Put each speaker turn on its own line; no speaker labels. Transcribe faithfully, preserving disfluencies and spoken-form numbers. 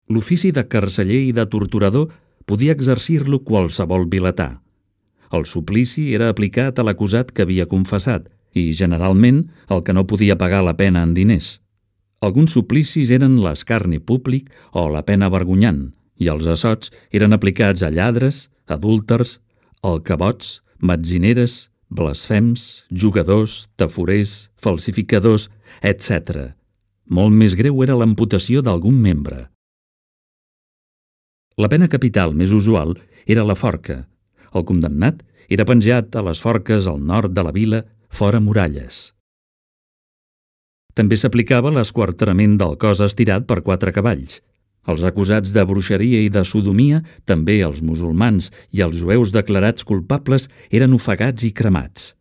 L'ofici de carceller i de torturador podia exercir-lo qualsevol vilatà. El suplici era aplicat a l'acusat que havia confessat i, generalment, el que no podia pagar la pena en diners. Alguns suplicis eren l'escarni públic o la pena vergonyant, i els assots eren aplicats a lladres, adúlters, alcabots, metzineres, blasfems, jugadors, taforers, falsificadors, etcètera. Molt més greu era l'amputació d'algun membre. La pena capital més usual era la forca. El condemnat era penjat a les forques al nord de la vila, fora muralles. També s'aplicava l'esquarterament del cos estirat per quatre cavalls. Els acusats de bruixeria i de sodomia, també els musulmans i els jueus declarats culpables, eren ofegats i cremats.